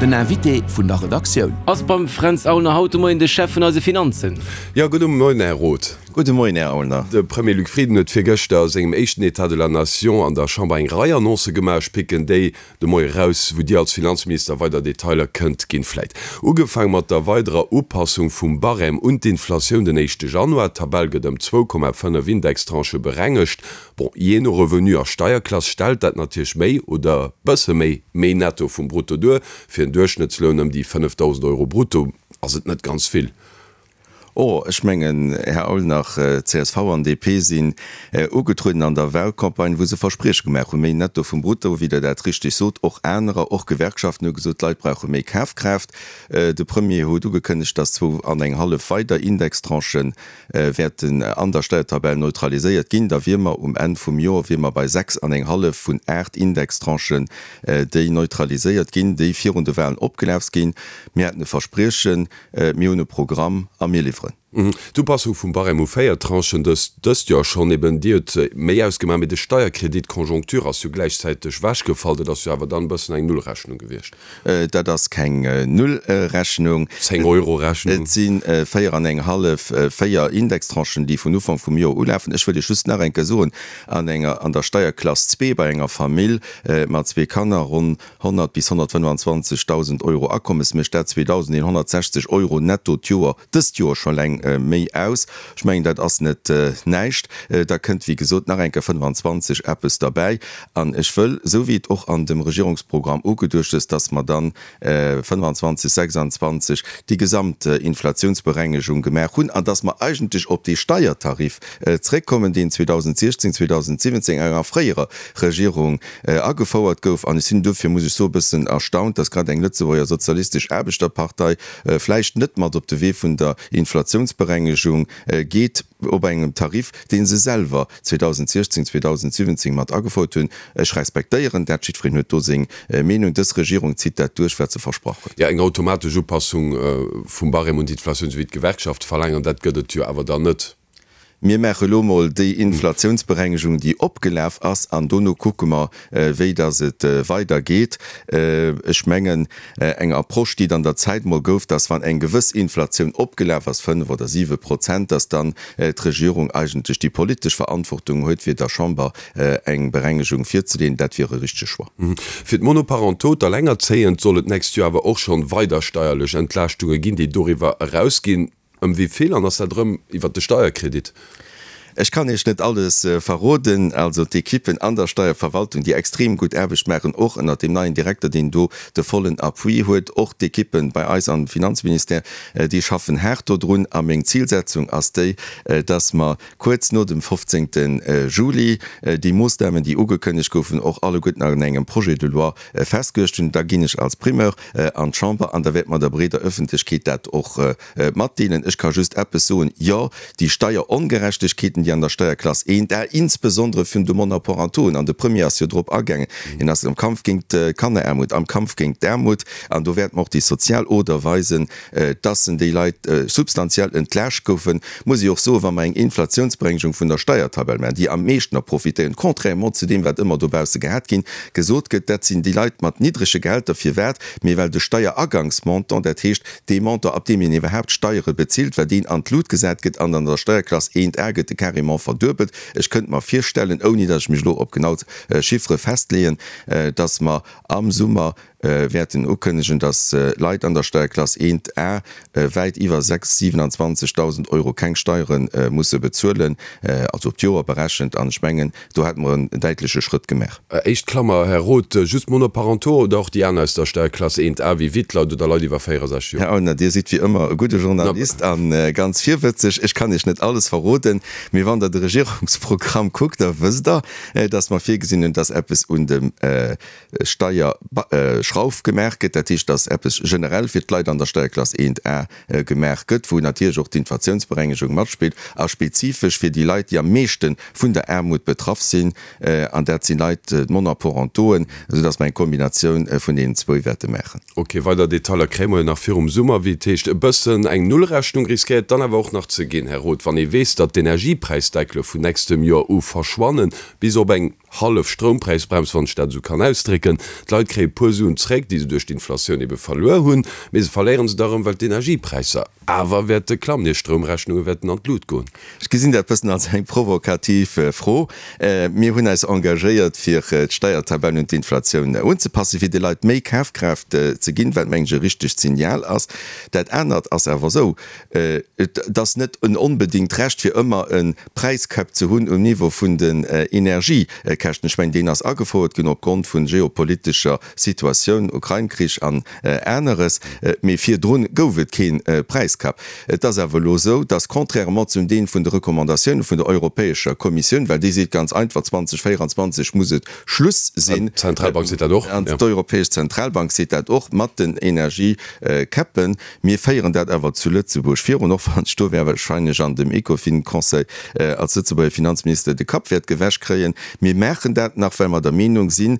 Den Invité vun der Redaktioun. Ass beim Fränz Aulner haut de Moien de Chef vun eise Finanzen. Jo, gudde Moien, Här Roth. Gudde Moien, Här Aulner. De Premier Luc Frieden huet virgëschter a sengem éischten État de la Nation an der Chamber eng Rei Annoncë gemaach. Ech picken déi de Moie raus, wou Dir als Finanzminister weider Detailer kënnt ginn. Vläit ugefaang mat der weiderer Upassung vum Barème un d'Inflatioun den éischte Januar. D'Tabell gëtt ëm 2,5 Indextranchë berengegt. Bon, jee no Revenu a Steierklass stellt dat natierlech méi oder bësse méi méi netto vum Brutto duer. Fir en Duerchschnëttsloun ëm déi 5.000 Euro brutto ass et net ganz vill. Oh, ech mengen, Här Aulnach, csv an DP sinn ugetrueden an der Wahlcampagne, wou se Versprieche gemaach hunn, méi netto vum Brutto, wéi Der dat richtig sot. Och anerer, och Gewerkschaften hu gesot, d'Leit brauche méi Kafkraaft. De Premier huet ugekënnegt, dass zwou an eng hallef weider Indextranchen wäerten an der Steiertabell neutraliséiert ginn. Da wier mer um Enn vum Joer wier mer bei 6 an eng hallef vun 8 Indextranchen, déi neutraliséiert ginn, déi virun de Wahlen opgelaf ginn. Mir haten e Verspriechen, mir hunn e Programm a mir liwweren. D'Upassung vum Barème u 4 Tranchen dëst Joer schonn, eben déi huet méi ausgemaach, mee de Steierkredit Conjoncture ass jo gläichzäiteg wechgefall. Dat ass jo awer dann e bëssen eng Nullrechnung gewiescht. Dat ass keng Nullrechnung. 10 Euro Rechnung. Et si 4 an eng hallef, 4 Indextranchen, déi vun Ufank vum Joer ulafen. Ech wëll Iech just nach eng Kéier soen, an enger, an der Steierklass zwee bei enger Famill mat zwee Kanner, ronn 100 bis 125.000 Euro Akommes, mécht dat 2.160 Euro netto d'Joer, dëst Joer scho eleng méi aus. Ech mengen, dat ass net näischt. Da kënnt, wéi gesot, nach eng Kéier 25 eppes derbäi. An ech wëll, esou wéi et och an dem Regierungsprogramm ugeduecht ass, dass mer dann 25, 26 déi gesamt Inflationsberengegung gemaach hunn an dass mer eigentlech op dee Steiertarif zréckkommen, deen 2016, 2017 an enger fréierer Regierung agefouert gouf. An ech sinn duerfir, muss ech soen, e bëssen erstaunt, dass grad eng Lëtzebuerger sozialistesch Aarbechterpartei vläicht net mat op de Wee vun der Inflationsberengegung geet, op engem Tarif, dee se selwer 2016, 2017 mat agefouert hunn. Ech respektéieren dat, jiddwereen huet do seng Meenung. Dës Regierung zitt dat duerch, wat se versprach huet. Jo, eng automatesch Upassung vum Barème un d'Inflatioun, esou wéi d'Gewerkschafte verlaangen, dat gëtt et jo awer dann net. Mir maache elo mol déi Inflationsberengegung, déi opgelaf ass, an dono kucke mer, wéi dass et weidergeet. Ech mengen, eng Approche, déi et an der Zäit mol gouf, dass wann eng gewëss Inflatioun opgelaf ass, 5 oder 7 Prozent, dass dann d'Regierung eigentlech déi politesch Verantwortung huet, fir der Chamber eng Berengegung virzeleeën, dat wier e richtege Choix. Fir d'Monoparentaux, d'Allengerzéiend, soll et d'nächst Joer awer och schonn weider steierlech Entlaaschtunge ginn, déi doriwwer erausginn. Ëm wéi vill an ass dat erëm iwwert de Steierkredit? Ech kann Iech net alles verroden. Also d'Ekippen an der Steierverwaltung, déi extrem gutt Aarbecht maachen, och ënnert deem neien Direkter, deen do de vollen Appui huet, och d'Ekippen bei eis am Finanzministère, déi schaffen haart dodrun. A meng Zilsetzung ass déi, dass mer kuerz no dem 15. Juli déi Moossnamen, déi ugekënnegt goufen, och alleguerten an engem Projet de loi festgeluecht hunn. Da ginn ech als Primeur an d'Chamber an da wäerte mer der breeder Öffentlechkeet dat och matdeelen. Ech ka just eppes soen, Jo, déi Steierongerechtegkeeten, déi an der Steierklass eent a insbesondere vun de Monoparentoen, an de Premier ass jo drop agaangen, hien ass am Kampf géint d'Kanneraarmut, am Kampf géint d'Aarmut, an do wäerte mer och déi sozial Oder weisen, dass en déi Leit substantiell entlaascht goufen, muss ech och soen, wa mer eng Inflationsberengegung vun der Steiertabell maachen, déi am meeschten der profitéieren, contrairement zu deem, wat ëmmer dobausse gehat ginn, gesot gëtt, dat sinn déi Leit mat niddrege Gehälter. Firwat? Mee well de Steieragangsmontant, dat heescht dee Montant, ab deem een iwwerhaapt Steiere bezilt, well deen an d'Lut gesat gëtt an an der Steierklass 1A gëtt e carrément verduebelt. Ech kënnt mer virstellen, ouni datt ech mech elo op genau Chiffere festleeën, datt mer am Summer wäerten ukënnegen, datt Leit an der Steierklass 1 A wäit iwwer 6 27.000 Euro keng Steiere musse bezuelen, also op d'Joer berechent. An ech mengen, do hätte mer en däitleche Schrëtt gemaach. Éischt Klammer, Här Roth, just Monoparentaux oder och déi aner aus der Steierklass 1 A wéi Wittleit oder Leit iwwer 64 Joer? Här Aulner, Dir sidd wéi ëmmer e gudde Journalist a ganz virwëtzeg. Ech kann Iech net alles verroden, mee wann Der de Regierungsprogramm kuckt, da wësst Der, datt mer virgesinn hunn, datt eppes un dem Steierschrauf gemaach gëtt, dat heescht, dass eppes generell fir d'Leit an der Steierklass 1 A gemaach gëtt, wou natierlech och d'Inflationsberengegung matspillt, a spezifesch fir déi Leit, déi am meeschte vun der Aarmut betraff sinn, an dat si Leit, d'Monoparentoen, esou dass mer eng Kombinatioun vun deenen zwou wäerte maachen. Ok, weider Detailer kréie mer jo nach virum Summer. Wéi et heescht, e bëssen eng Nullrechnung riskéiert dann awer och nach ze ginn, Här Roth, wann ee weess, datt d'Energiepräisdeckele vun nächstem Joer u verschwannen, bis op eng. Hallef Stroumpräisbrems, wann ech dat esou kann ausdrécken. D'Leit kréie puer Suen zréck, déi se duerch d'Inflatioun ebe verluer hunn, mee se verléieren se da erëm, well d'Energiepräisser awer wäerte klammen, hir Stroumrechnunge wäerten an d'Lut goen. Ech gesinn dat bëssen als eng provokativ Fro. Mir hunn eis engagéiert, fir d'Steiertabell un d'Inflatioun unzepassen, fir de Leit méi Kafkraaft ze ginn, wat, mengen ech, e richtegt Signal ass. Dat anert ass awer esou, Et ass net en onbedéngt Recht, fir ëmmer e Präiscap ze hunn um Niveau vun den Energiekäschten. Ech mengen, deen ass agefouert ginn opgrond vu geopolitescher Situatioun, Ukrain-Krich an aneres, mee virdrun gouf et kee Präiscap. Et ass awer elo esou, dass contrairement zum Deel vun de Recommandatioune vun der Europäescher Kommissioun, well déi seet ganz einfach, 2024 muss et Schluss sinn, D'Zentralbank seet dat och, an d'Europäesch Zentralbank seet dat och, mat den Energiecappen, Mir féieren dat awer zu Lëtzebuerg virun, och wann ech do wahrscheinlech an dem Ecofin-Conseil als Lëtzebuerger Finanzminister de Kapp wäert gewäsch kréien. Mir maachen dat nach, well mer der Meenung sinn,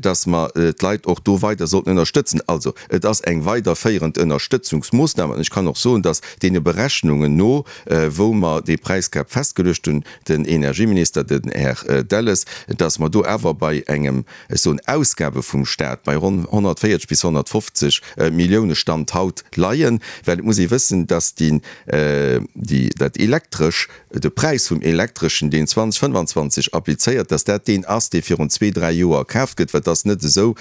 dass mer d'Leit och do weider sollten ënnerstëtzen. Also, et ass eng weiderféierend Ënnerstëtzungsmoossnam. An ech kann och soen, dass deene Berechnungen no, wou mer dee Präiscap festgeluecht hunn, den Energieminister, den Här Delles, dass mer do awer bei engem ech soen Ausgabe vum Staat bei ronn 140 bis 150 Millioune Stand haut leien, well et muss ee wëssen, dass déi, déi, dat Elektresch, de Präis vum Elektreschen, deen 2025 applizéiert, dass dat deen ass, dee virun zwee, dräi Joer kaaft gëtt, well et ass net esou,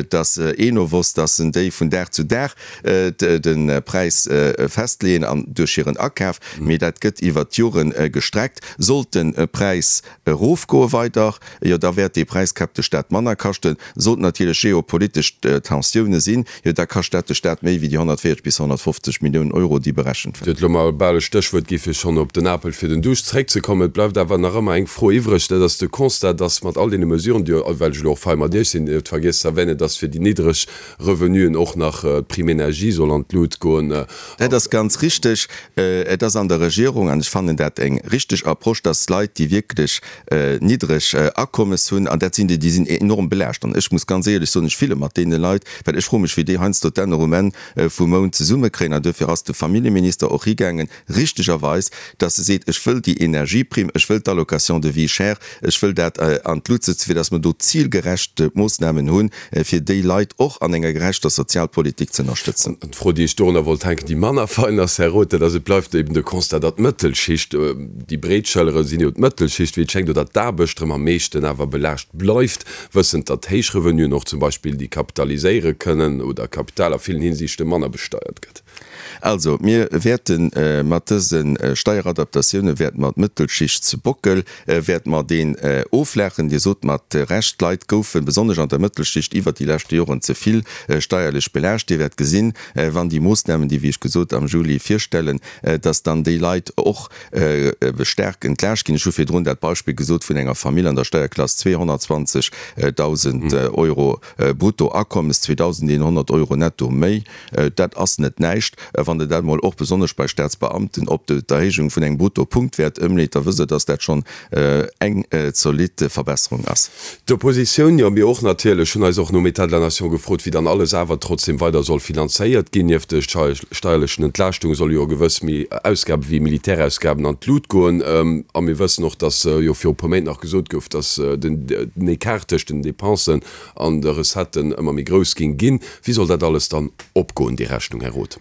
dass Enovos, dass en déi vun Dag zu Dag de Präis festleeën an duerch hiren Akaf, mee dat gëtt iwwert d'Jore gestreckt. Sollt de Präis erofgoe weider, jo da wäert dee Präiscap de Staat manner kaschten. Sollten natierlech geopolitesch Tensioune sinn, jo da kascht dat de Staat méi wéi déi 140 bis 150 Milliounen Euro, déi berechent Dir hutt elo mer bal e Stéchwuert gi fir schonn op den Apel fir den Duuscht zréckzekommen. Et bleift awer nach ëmmer eng Fro iwwreg, dat ass de Constat, dass mat all deene Mesuren, déi, well ech elo och fei mat Iech sinn, Dir hutt vergiess ze erwänen, dass fir déi niddreg Revenuen och nach d'Prime énergie soll an d'Lut goen. Dat ass ganz richteg. Et ass an der Regierung, an ech fannen dat eng richteg Approche, dass Leit, déi wierklech niddreg Akommes hunn, an dat sinn déi, déi sinn enorm belaascht, an ech muss ganz éierlech soen, ech fille mat deene Leit, well ech froe mech, wéi déi heiansdo d'Enner um Enn vum Mount zesummekréien. An duerfir ass de Familljeminister och higaangen, richtegerweis, dass e seet, ech wëll déi Energieprime, ech wëll d'Allocation de vie chère, ech wëll dat an d'Lut setzen, fir dass mer do zilgerecht Moossnamen hunn, fir déi Leit och an enger gerechter Sozialpolitik ze ënnerstëtzen. An d'Fro, déi ech dorunner wollt hänken, déi manner fein ass, Här Roth, dat ass, et bleift eben de Constat, datt d'Mëttelschicht, déi breet Schëllere sinn jo d'Mëttelschicht, wéi et schéngt, oder d'Aarbecht erëm am meeschten awer belaascht bleift, wëssend, datt héich Revenuen och zum Beispill déi kapitaliséiere kënnen oder Kapital a villen Hinsichte manner besteiert gëtt. Also, mir wäerte mat dëse Steieradaptatioune wäerte mer d'Mëttelschichtsbockel wäerte mer deen oflaachen. Dir sot mat Recht, d'Leit goufen, besonnesch an der Mëttelschicht, iwwert déi leschte Joren ze vill steierlech belaascht. Dir wäert gesinn, wann déi Moossnamen, déi, wéi ech gesot, am Juli virstellen, dass dann déi Leit och staark entlaascht ginn. Ech hu virdrun dat Beispill gesot vun enger Famill an der Steierklass 220.000 Euro Bruttoakommes, 2.100 Euro netto méi. Dat ass net näischt. Wann Der dat emol och besonnesch bei Staatsbeamten op d'Erhéijung vun engem Bruttopunktwäert ëmleet, da wësst Der, dass dat schonn eng zolidd Verbesserung ass. D'Oppositioun, jo mir och natierlech, hunn eis och nom État de la Nation gefrot, wéi dann alles awer trotzdem weider soll finanzéiert ginn. Nieft de steierlechen Entlaaschtunge solle jo gewëss méi Ausgabe wéi Militärausgaben an d'Lut goen. A mir wëssen och, dass jo viru puer Méint nach gesot gouf, dass den Ecart tëscht den Dépensen an de Recetten ëmmer méi grouss géing ginn. Wéi soll dat alles dann opgoen, déi Rechnung, Här Roth?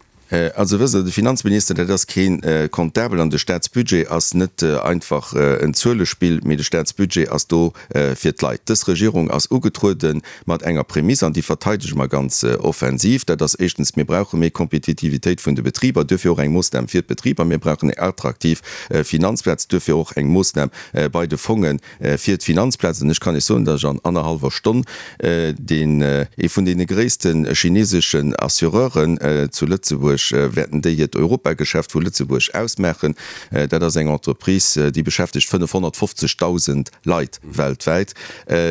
Also wësst Der, de Finanzminister, dat ass kee Comptabel an de Staatsbudget ass net einfach en Zuelespill, mee de Staatsbudget ass do fir d'Leit. Dës Regierung ass ugetruede mat enger Prämiss an déi verteidege mer ganz offensiv. Dat ass éischtens, mir brauche méi Kompetitivitéit vun de Betriber, duerfir och eng Moossnam fir d'Betriber. Mir brauchen eng attraktiv Finanzplaz, duerfir och eng Moossnam bei de Fongen, fir d'Finanzplaz, an ech kann Iech soen, datt ech an annerhallwer Stonn deen, ee vun deene gréisste chineseschen Assureuren zu Lëtzebuerg, wäerten déi hiert Europageschäft vu Lëtzebuerg aus maachen. Dat ass eng Entreprise, déi beschäftegt 550.000 Leit weltwäit,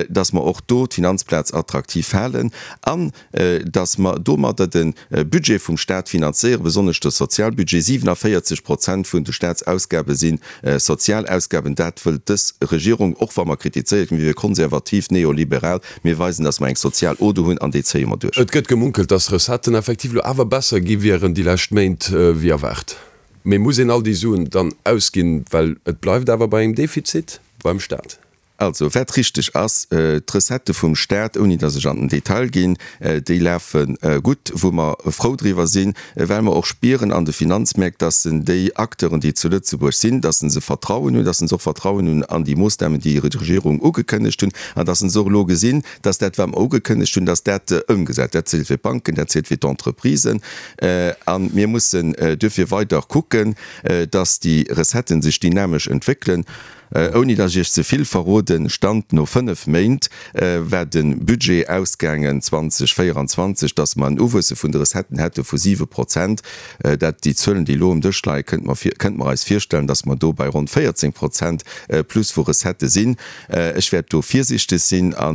datt mer och do d'Finanzplaz attraktiv halen an datt mer domadder de Budget vum Stat finanzéieren, besonnesch de Sozialbudget. 47 Prozent vun de Statsausgabe si Sozialausgaben. Dat wëllt dës Regierung, och wa mer kritizéiert ginn, mir wiere konservativ, neoliberal. Mir weisen, datt mer eng sozial Oder hunn an déi zéie mer duerch. Et gëtt gemunkelt, datt d'Recetten effektiv elo awer besser gi wieren déi lescht Méint wéi erwaart. Mee muss een all déi Suen dann ausginn, well et bleift awer bei engem Defizit beim Stat? Also, wat richteg ass, d'Recettë vum Staat, ouni datt ech an den Detail ginn, déi lafe gutt, wou mer frou driwwer sinn, well mer och spieren an de Finanzmäerk, datt en déi Acteuren, déi zu Lëtzebuerg sinn, datt se Vertrauen hunn, datt se och Vertrauen hunn an déi Moossnamen, déi d'Regierung ugekënnegt hunn, an datt se och elo gesinn, datt dat, wat mer ugekënnegt hunn, datt dat ëmgesat. Dat zielt fir d'Banken, dat zielt fir d'Entreprisen. A mir mussen duerfir weider kucken, datt déi Recetten sech dynamesch entwéckelen. Ouni datt ech Iech ze vill verroden, Stand no 5 Méint war de Budget ausgaangen 2024, datt mer en Uwuesse vun de Recetten hätte vu 7 Prozent. Dat, déi Zuelen, déi elo um Dësch leien, kënnte mer kënnte mer eis virstellen, datt mer do bei ronn 14 Prozent plus vu Recettë sinn. Ech wäert do virsichteg sinn a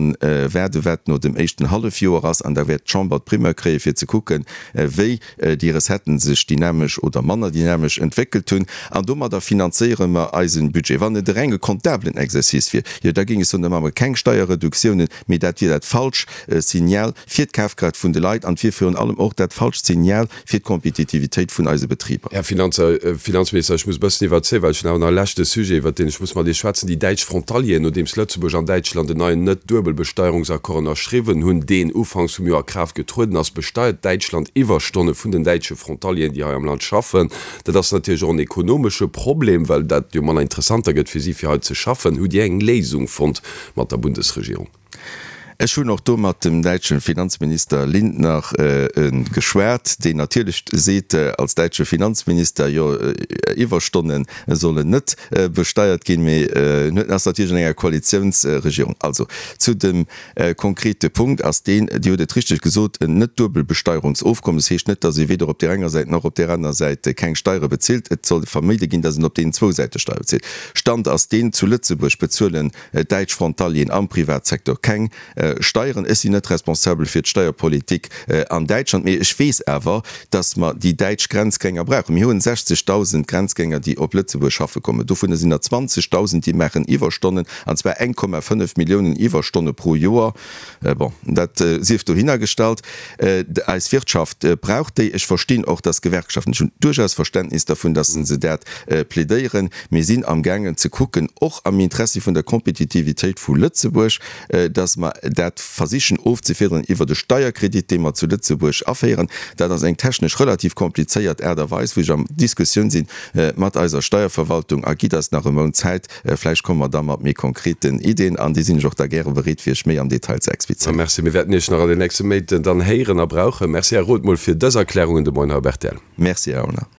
waarde wat no dem éischten Hallefjoer ass an da wäert d'Chamber d'Primeur kréie fir ze kucken, wéi déi Recetten sech dynamesch oder manner dynamesch entwéckelt hunn, an domadder finanzéiere mer eisen Budget. Wann et e renge comptablen Exercice wier, jo da géing ech soen, da maache mer keng Steierreduktiounen, mee dat wier dat falsch Signal fir d'Kafkraaft vun de Leit an et wier virun allem och dat falscht Signal fir d'Kompetitivitéit vun eise Betriber. Här Finanzminister, ech muss e bëssen iwwerzéien, well ech hunn awer nach e leschte Sujet, iwwert deen ech muss mat Iech schwätzen, déi däitsch Frontalieren. Nodeems Lëtzebuerg an Däitschland en neien Net-Duebelbesteierungsaccord ënnerschriwwen hunn, deen ufanks vum Joer a Kraaft getrueden ass, besteiert Däitschland Iwwerstonne vun den däitsche Frontalieren, déi hei am Land schaffen. Dat ass natierlech och en ekonomesche Problem, well dat jo manner interessant da gëtt fir si, fir hei ze schaffen. Hutt Dir eng Léisung fonnt mat der Bundesregierung? Ech hunn och do mat dem däitsche Finanzminister Lindner geschwat, deen natierlech seet als däitsche Finanzminister, jo Iwwerstonne sollen net besteiert ginn, mee en huet ass natierlech an enger Koalitiounsregierung. Also zu dem konkrete Punkt ass deen, Dir hutt et richteg gesot, en Net-Duebelbesteierungsofkommes heescht net, datt ee weder op där enger Säit nach op där anerer Säit keng Steiere bezilt. Et soll verméide ginn, datt een op deenen zwou Säite Steiere bezilt. Stand ass deen, zu Lëtzebuerg bezuelen däitsch Frontalieren am Privatsecteur keng Steieren. Ech sinn net responsabel fir d'Steierpolitik an Däitschland, mee ech weess awer, datt mer déi däitsch Grenzgänger brauchen. Mir hunn 60.000 Grenzgänger, déi op Lëtzebuerg schaffe kommen. Dovunner sinn der 20.000, déi maachen Iwwerstonnen, an zwar 1,5 Milliounen Iwwerstonne pro Joer. Bon, dat sief dohinner gestallt. Eis Wirtschaft brauch déi. Ech verstinn och, dass Gewerkschaften, ech hunn duerchaus Verständnis dervun, dass se dat plädéieren. Mir sinn amgaangen ze kucken, och am Interessi vun der Kompetitivitéit vu Lëtzebuerg, dass mer dat versichen ofzefiederen iwwert e Steierkredit, dee mer zu Lëtzebuerg aféieren. Dat ass eng technesch relativ komplizéiert Aart a Weis, wou ech am Diskussioun si mat eiser Steierverwaltung. A gitt eis nach e Mount Zäit, Vläicht komme mer da mat méi konkreten Ideen an déi sinn ech och da gäre bereet fir iech méi am Detail ze explizéieren. Merci. Mir wäerten Iech nach an den nächste Méint dann héieren a brauchen. Merci, Här Roth, mol fir dës Erklärungen de Moien hei op rtl. Merci, Här Aulner.